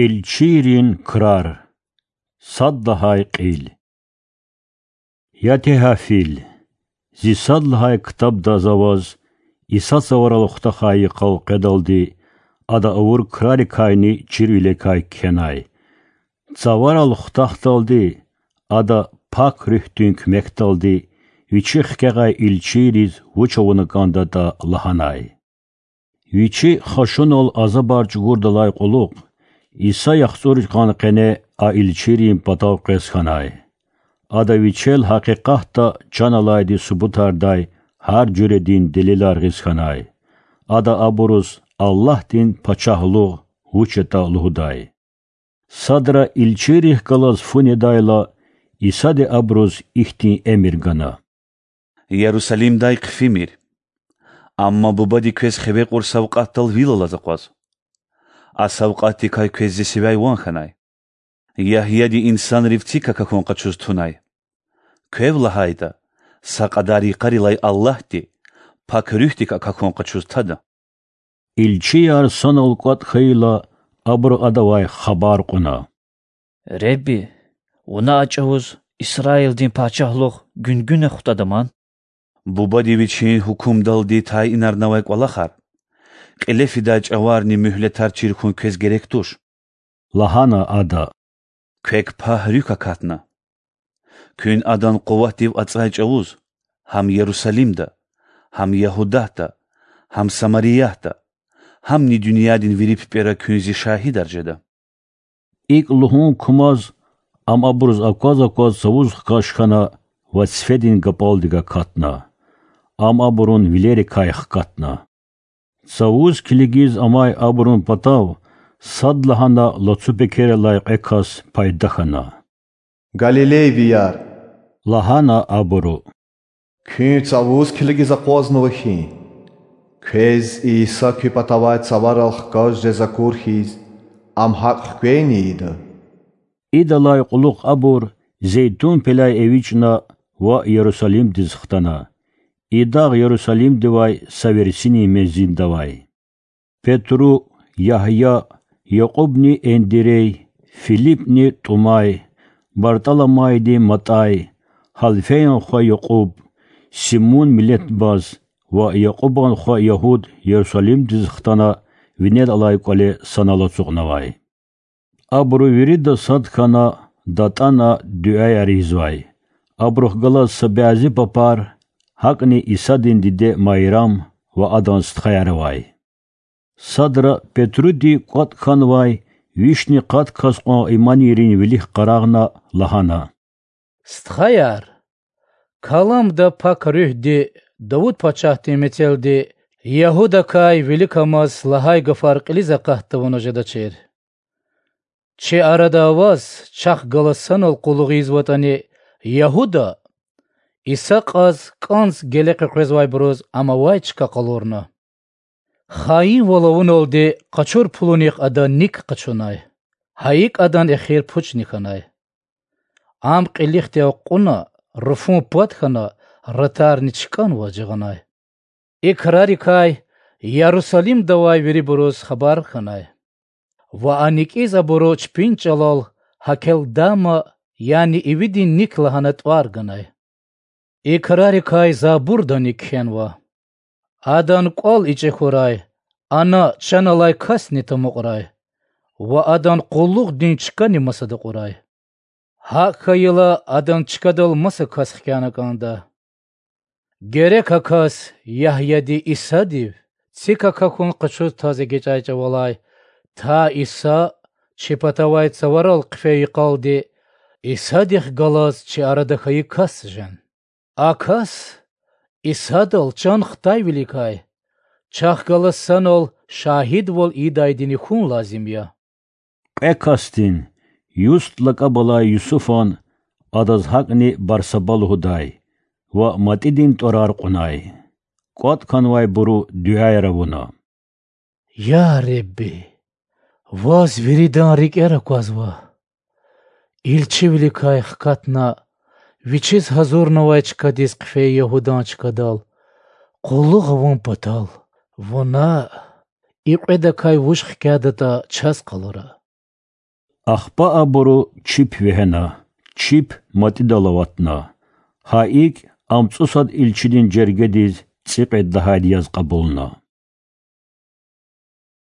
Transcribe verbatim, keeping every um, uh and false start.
Илчийрин крар. Сад лагьай кьил. Я Теофил, зи сад лагьай ктабда за ваз, Иса цаварал хутахай йикъал къведалди, Ада авур крарикайни чирвилерикай кхьенай. Цаварал хутахдалди, Ада Пак Руьгьдин куьмекдалди, Вичи хкягъай илчийриз вуч авуна кӀандатӀа лагьанай. Вичи хашунал азабар чӀугурдалай кьулухъ, Иса яхцӀур йикъан къене а илчийрин патав къвез хьанай. Ада Вичел гьакъикъатда чан алайди субутардай гьар жуьредин делилар гъиз хьанай. Ада абуруз Аллагьдин Пачагьлугъ вуч ятӀа лугьудай. Садра илчийрихъ галаз фу недайла, Исади абуруз ихьтин эмир гана: Ярусалимдай хъфимир. Амма Бубади квез хиве кьур савкьватдал вил алаз акъваз. А савкьватдикай квез зи сивяй ван хьанай. Ягьяди инсанрив цик акахьун къачуз тунай. Квев лагьайтӀа, са кьадар йикъарилай Аллагьди Пак Руьгьдик акахьун къачуз тада. Илчияр санал кӀватӀ хьайила, абуру Адавай хабар кьуна: Ребби, вуна а чӀавуз Исраилдин пачагьлугъ гуьнгуьна хутӀада ман? Бубади Вичин гьукумдалди тайинарнавай кӀвалахар, кьиле фидай чӀаварни муьгьлетар чир хьун квез герек туш,– лагьана Ада. Квек Пак Руьгь акатна. Куьн Адан къуватдив ацӀай чӀавуз гьам Ярусалимда, гьам Ягьудатда, гьам Самариятда, гьамни дуьньядин вири пипӀера куьн Зи шагьидар жеда. ИкӀ лугьун кумаз, Ам абуруз акваз-акваз цавуз хкаж хьана ва цифедин гапӀалдик акатна. Ам абурун вилерикай хкатна. Цавуз килигиз амай абурун патав садлагьана лацу пекерилай кьве кас пайда хьана. Галилейвияр,– лагьана абуру,– куьн цавуз килигиз акъвазнава хьи? Квез Иса куь патавай цаварал хкаж жез акур хьиз, Ам гьакӀ хквени ийида? Идалай кьулухъ абур Зейтун пелай эвичӀна ва Ярусалимдиз хтана. И дагъ Ярусалимдивай са версинин мензилда авай. Петру, Ягья, Якьубни Эндирей, Филипни ТӀумай, БартӀаламайди МатӀай, Гьалфеян хва Якьуб, Симун миллетбаз ва Якьубан хва Ягьуд Ярусалимдиз хтана, винел алай кӀвале санал ацукьнавай. Абуру вирида сад хьана, датӀана дуьаяр ийизвай. Абурухъ галаз са бязи папар, гьакӀни Исадин диде Майрам ва адан стхаяр авай. Садра Петруди кӀватӀ хьанвай вишни къад кас кьван иманийрин вилик къарагъна, лагьана: Стхаяр, Каламда Пак Руьгьди Давуд пачагьдин мецелди Ягьудакай виликамаз лагьай гафар кьилиз акъат тавуна жедачир: Чи арада аваз чахъ галаз санал къуллугъ ийизватӀани, Ягьуда Иса кьаз кӀанз геле къекъвезвайбуруз ам авай чка къалурна. Хаинвал авуналди къачур пулунихъ ада ник къачунай, гьа икӀ адан эхир пучни хьанай. Ам кьилихъди акьуна, руфун пад хьана, ратарни чкӀанваз жагъанай. И крарикай Ярусалимда авай вирибуруз хабар хьанай. Ва а никӀиз абуру чпин чӀалал Гьакелдама, яни Ивидин ник лагьана тӀвар ганай. И крарикай Забурдани кхьенва: Адан кӀвал ичӀе хьурай, ана чан алай касни тамукьрай, ва адан къуллугъдин чкани масада кьурай. ГьакӀ хьайила адан чкадал маса кас хкяна кӀанда. Герек а кас Ягьяди Исадив цик акахьун къачуз таз эгечӀай чӀавалай, та Иса чи патавай цаварал хъфей йикъалди, Исадихъ галаз чи арада хьайи кас жен. А кас Исадал чан хтайвиликай чахъ галаз санал шагьидвал ийидайдини хьун лазим я. Кьве касдин, Юст лакӀаб алай Юсуфан, адаз гьакӀни Барсаба лугьудай, ва МатӀидин тӀварар кьунай. КӀватӀ хьанвайбуру дуьаяр авуна: Я Худа, Ваз виридан рикӀер аквазва. Илчивиликай хкатна, Вичиз гьазурнавай чкадиз хъфей Ягьудан чкадал къуллугъ авун патал, Вуна и кьведакай вуж хкядатӀа чаз къалура. Ахпа абуру чип вегьена, чип МатӀидал аватна. Гьа икӀ, ам цӀусад илчидин жергедиз цӀикьвед лагьайди яз кьабулна.